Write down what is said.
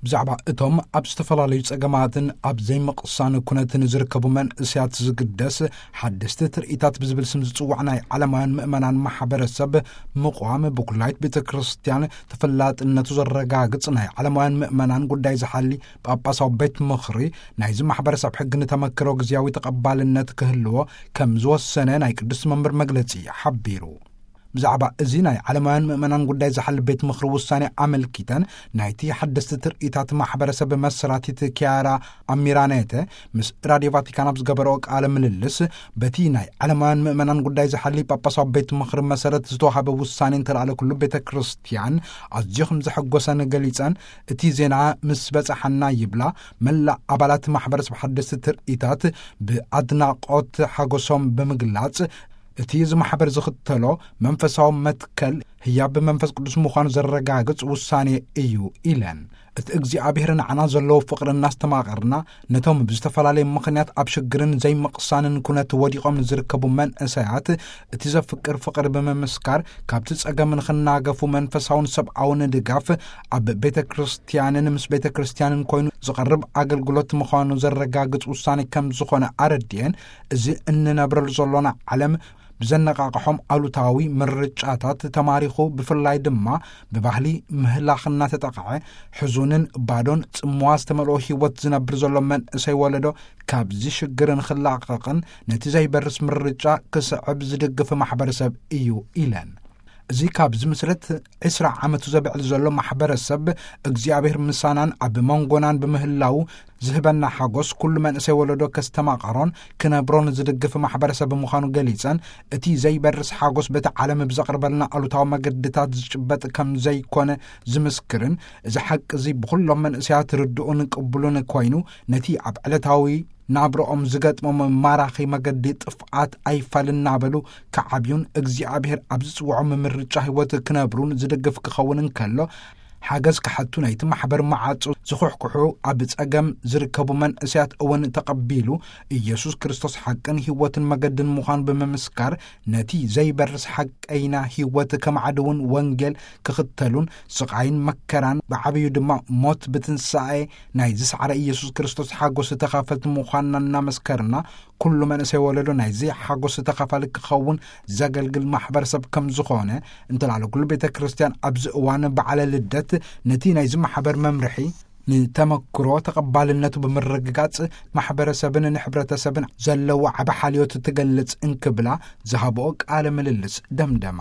ብዛዕባ እቶም ኣብ ዝተፈላለዩ ጸገማትን ኣብ ዘይምቕሳን ኩነትን ዝርከቡ መንእሰያት ዝግደስ ሓደስቲ ትርኢታት ብዝብል ስም ዝጽዋዕ ናይ ዓለማውያን ምእመናን ማሕበረሰብ ምቕዋም፣ ብኩላይት ቤተ ክርስቲያን ተፈላጥነቱ ዘረጋግጽ ናይ ዓለማውያን ምእመናን ጉዳይ ዝሓሊ ጳጳሳዊ ቤት ምኽሪ፣ ናይዚ ማሕበረሰብ ሕጊ ንተመክሮ ግዝያዊ ተቐባልነት ክህልዎ ከም ዝወሰነ ናይ ቅዱስ መንበር መግለጺ ሓቢሩ። ብዛዕባ እዚ ናይ ዓለማውያን ምእመናን ጉዳይ ዝሓሊ ቤት ምኽሪ ውሳኔ ኣመልኪተን፣ ናይቲ ሓደስቲ ትርኢታት ማሕበረሰብ መሰራቲት ኪያራ ኣሚራኔተ ምስ ራድዮ ቫቲካን ኣብ ዝገበረኦ ቃለ ምልልስ፣ በቲ ናይ ዓለማውያን ምእመናን ጉዳይ ዝሓሊ ጳጳሳዊ ቤት ምኽሪ መሰረት ዝተዋሃበ ውሳኔ እንተለኣለ ኩሉ ቤተ ክርስቲያን ኣዝዮ ከም ዘሐጎሰን ገሊጸን፣ እቲ ዜና ምስ በጻሓና ይብላ፣ መላእ ኣባላት ማሕበረሰብ ሓደስቲ ትርኢታት ብኣድናቖት ሓጎሶም ብምግላጽ፣ እቲ እዚ ማሕበር ዝኽተሎ መንፈሳዊ መትከል ህያብ መንፈስ ቅዱስ ምዃኑ ዘረጋግጽ ውሳኔ እዩ ኢለን። እቲ እግዚኣብሔር ንዓና ዘለዎ ፍቕሪ እናስተማቐርና፣ ነቶም ብዝተፈላለየ ምኽንያት ኣብ ሽግርን ዘይምቕሳንን ኩነት ወዲቖም ንዝርከቡ መንእሰያት እቲ ዘፍቅር ፍቕሪ ብምምስካር፣ ካብቲ ጸገም ንኽናገፉ መንፈሳውን ሰብኣውን ድጋፍ ኣብ ቤተ ክርስቲያንን ምስ ቤተ ክርስቲያንን ኮይኑ ዝቐርብ ኣገልግሎት ምዃኑ ዘረጋግጽ ውሳኔ ከም ዝኾነ ኣረድኤን፣ እዚ እንነብረሉ ዘሎና ዓለም ብዘነቃቕሖም ኣሉታዊ ምርጫታት ተማሪኹ፣ ብፍላይ ድማ ብባህሊ ምህላኽ እናተጠቕዐ፣ ሕዙንን ባዶን ጽምዋ ዝተመልኦ ህይወት ዝነብር ዘሎ መንእሰይ ወለዶ ካብዚ ሽግር ንኽላቐቕን ነቲ ዘይበርስ ምርጫ ክስዕብ ዝድግፍ ማሕበረሰብ እዩ ኢለን። እዚ ካብዚ ምስረት ዕስራ ዓመቱ ዘብዕል ዘሎ ማሕበረሰብ እግዚኣብሔር ምሳናን ኣብ መንጎናን ብምህላው ዝህበና ሓጎስ ኩሉ መንእሰይ ወለዶ ከስተማቐሮን ክነብሮን ዝድግፍ ማሕበረሰብ ምዃኑ ገሊጸን፣ እቲ ዘይበርስ ሓጎስ በቲ ዓለም ብዘቕርበልና ኣሉታዊ መገድታት ዝጭበጥ ከም ዘይኮነ ዝምስክርን፣ እዚ ሓቂ እዚ ብኹሎም መንእሰያት ርድኡን ቅቡሉን ኮይኑ፣ ነቲ ኣብ ዕለታዊ ናብርኦም ዝገጥሞም ማራኺ መገዲ ጥፍኣት ኣይፋል እናበሉ ክዓብዩን እግዚኣብሔር ኣብ ዝጽውዖም ምርጫ ህይወት ክነብሩን ዝድግፍ ክኸውን እንከሎ፣ ሓገዝ ክሓቱ ናይቲ ማሕበር መዓጹ ዝኹሕኩሑ ኣብ ጸገም ዝርከቡ መንእሰያት እውን ተቐቢሉ፣ ኢየሱስ ክርስቶስ ሓቅን ህይወትን መገድን ምዃኑ ብምምስካር፣ ነቲ ዘይበርስ ሓቀይና ህይወት ከማዕድውን ወንጌል ክኽተሉን፣ ስቓይን መከራን ብዓብዩ ድማ ሞት ብትንሳኤ ናይ ዝሰዓረ ኢየሱስ ክርስቶስ ሓጎስ ተኻፈልቲ ምዃንና እናመስከርና፣ ኩሉ መንእሰይ ወለዶ ናይዚ ሓጎስ ተኻፋሊ ክኸውን ዘገልግል ማሕበረሰብ ከም ዝኾነ እንተላለ ኩሉ ቤተ ክርስቲያን ኣብዚ እዋን በዓለ ልደት ነቲ ናይዚ ማሕበር መምርሒ ንተመክሮ ተቐባልነቱ ብምርግጋጽ ማሕበረሰብን ንሕብረተሰብን ዘለዎ ዓቢ ሓልዮት ትገልጽ እንክብላ ዝሃብኦ ቃለ ምልልስ ደምደማ።